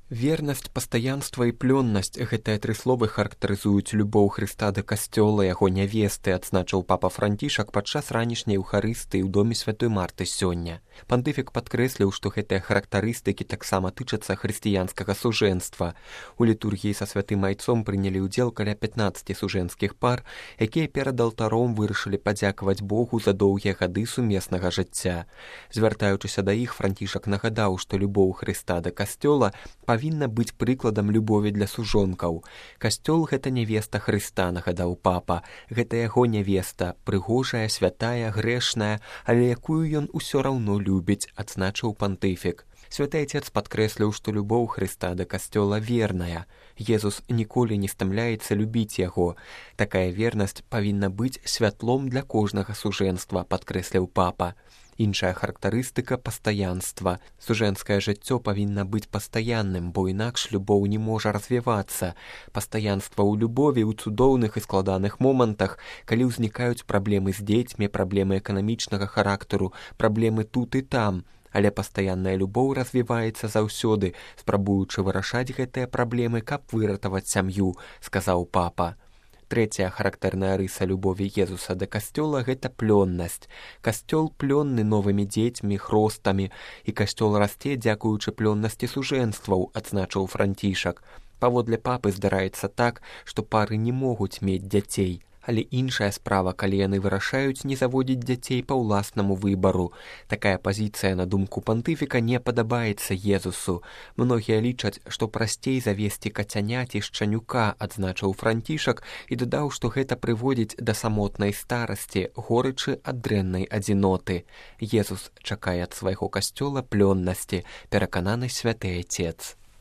Вернасць, пастаянства і плённасць – гэтыя тры словы характарызуюць любоў Хрыста да касцёла, яго нявесты, адзначыў папа Францішак падчас ранішняй еўхарыстыі ў доме святой Марты сёння. Пантыфік падкрэсліў, што гэтыя характарыстыкі таксама тычацца хрысціянскага сужэнства. У літургіі са святым айцом прынялі ўдзел каля 15 сужэнскіх пар, якія перад алтаром вырашылі падзякаваць Богу за доўгія гады сумеснага жыцця. Звяртаючыся да іх, Францішак нагадаў, што любоў Хрыста да касцёла павінна быць прыкладам любові для сужонкаў. Касцёл – гэта нявеста Хрыста, нагадаў папа. Гэта яго нявеста, прыгожая, святая, грэшная, але якую ён усё раўно любіць, адзначыў пантыфік. Святы Отец падкрэсліў, што любоў Хрыста да касцёла верная. Езус ніколі не стамляецца любіць яго. Такая вернасць павінна быць святлом для кожнага сужэнства, падкрэсліў папа. Іншая характарыстыка – пастаянства. Сужэнскае жыццё павінна быць пастаянным, бо інакш любоў не можа развівацца. Пастаянства ў любові ў цудоўных і складаных момантах, калі ўзнікаюць праблемы з дзецьмі, праблемы эканамічнага характару, праблемы тут і там. Але пастаянная любоў развіваецца заўсёды, спрабуючы вырашаць гэтыя праблемы, каб выратаваць сям'ю, сказаў папа. Трэцяя характэрная рыса любові Езуса да касцёла – гэта плённасць. Касцёл плённы новымі дзецьмі, хростамі, і касцёл расце дзякуючы плённасці сужэнстваў, адзначыў Францішак. Паводле папы здараецца так, што пары не могуць мець дзяцей. Але іншая справа, калі яны вырашаюць не заводзіць дзяцей па ўласнаму выбару. Такая пазіцыя, на думку пантыфіка, не падабаецца Езусу. Многія лічаць, што прасцей завесці кацяня ці шчанюка, адзначыў Францішак, і дадаў, што гэта прыводзіць да самотнай старасці, горычы ад дрэннай адзіноты. Езус чакае ад свайго касцёла плённасці, перакананы святы Отец.